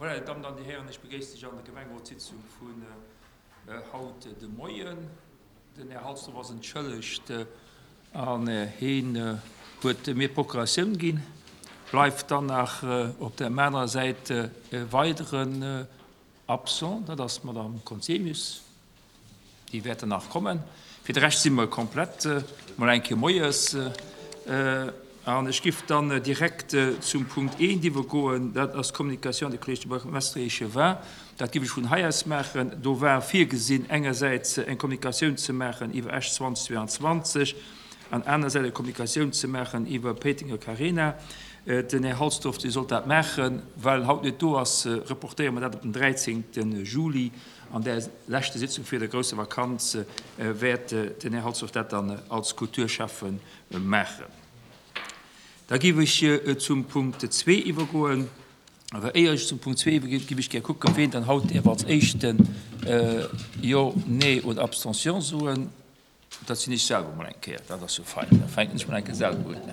Voilà, dir Dammen an dir Hären, ech begréissen lech an der Gemengerotssitzung vun haut de Moien. Den Här Halsdorf ass entschëllegt an heen huet mir d'Procuratioun ginn. Bleift dann nach op der anerer Säit e weideren Absent, dat ass d'Madame Conzemius. Déi wäerten nach kommen. Fir de Rescht si mer komplett, mol eng Kéier moies. An ech giff dann direkt zum Punkt eent iwwergoen, dat ass d'Communication de Collège de Bourgmestre et Échevins. Dat giff ech vun hei aus maachen. Do war virgesinn, engersäits eng Kommunikatioun ze maachen iwwer Esch 2022 an anersäits eng Kommunikatioun ze maachen iwwer Péitenger Carena. Den Här Halsdorf, dee sollt dat maachen. Well en haut net do ass, reportéiere mer dat op den 13. Juli. An där leschte Sitzung vir der grousser Vakanz wäert den Här Halsdorf dat dann als Kulturschäffe maachen. Da géif ech zum Punkt zwee iwwergoen. Awer éier ech zum Punkt zwee iwwerginn, géif ech gär kucken, ween dann haut däerf als éischten Jo, Nee oder Abstention soen. Dat sinn ech selwer mol eng Kéier. Dat ass jo fein. Da fänken ech mol eng Kéier selwer un.